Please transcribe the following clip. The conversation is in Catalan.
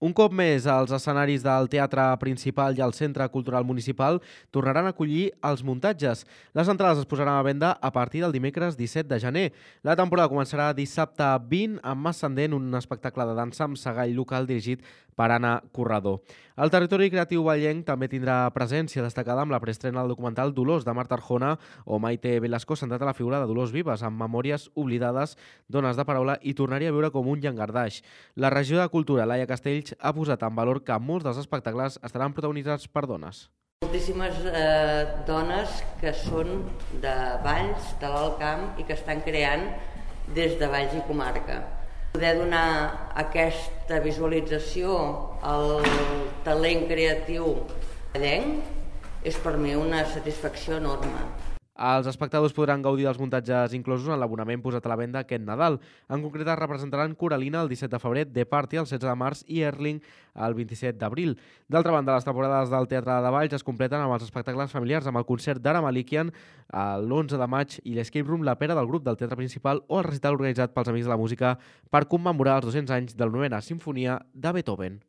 Un cop més, els escenaris del Teatre Principal i el Centre Cultural Municipal tornaran a acollir els muntatges. Les entrades es posaran a venda a partir del dimecres 17 de gener. La temporada començarà dissabte 20 amb Ascendent, un espectacle de dansa amb segall local dirigit per Anna Corredor. El territori creatiu vallenc també tindrà presència destacada amb la preestrena del documental Dolors de Marta Arjona o Maite Velasco, centrat a la figura de Dolors Vives, amb memòries oblidades, dones de paraula i tornar-hi a viure com un llangardaix. La regió de Cultura, Laia Castells, ha posat en valor que molts dels espectacles estaran protagonitzats per dones. Moltíssimes dones que són de Valls, de l'Alt Camp i que estan creant des de Valls i comarca. Poder donar aquesta visualització al talent creatiu vallenc és per mi una satisfacció enorme. Els espectadors podran gaudir dels muntatges inclosos en l'abonament posat a la venda aquest Nadal. En concret, es representaran Coralina el 17 de febrer, The Party el 16 de març i Erling el 27 d'abril. D'altra banda, les temporades del Teatre de Valls es completen amb els espectacles familiars, amb el concert d'Ara Malikian l'11 de maig i l'Escape Room La Pera del grup del Teatre Principal o el recital organitzat pels Amics de la Música per commemorar els 200 anys de la 9a Simfonia de Beethoven.